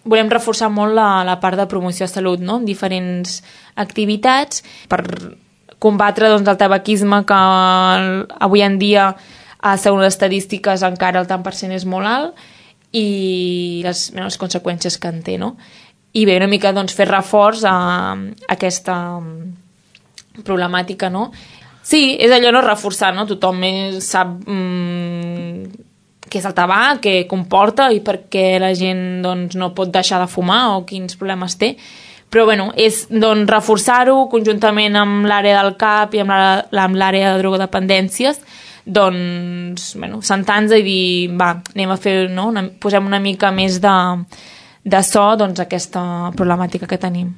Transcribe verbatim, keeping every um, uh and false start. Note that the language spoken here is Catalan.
volem reforçar molt la, la part de promoció de salut, no? En diferents activitats per combatre doncs, el tabaquisme que avui en dia, segons les estadístiques, encara el tant per cent és molt alt i les, les conseqüències que en té, no? I bé, una mica doncs, fer reforç a, a aquesta problemàtica, no? Sí, és allò, no? Reforçar, no? Tothom sap mmm, què és el tabac, què comporta i per què la gent doncs, no pot deixar de fumar o quins problemes té. Però bueno, és doncs, reforçar-ho conjuntament amb l'àrea del C A P i amb l'àrea de drogodependències, doncs, bueno, sentar-nos i dir, va, anem a fer, no? una, posem una mica més de, de so doncs, aquesta problemàtica que tenim.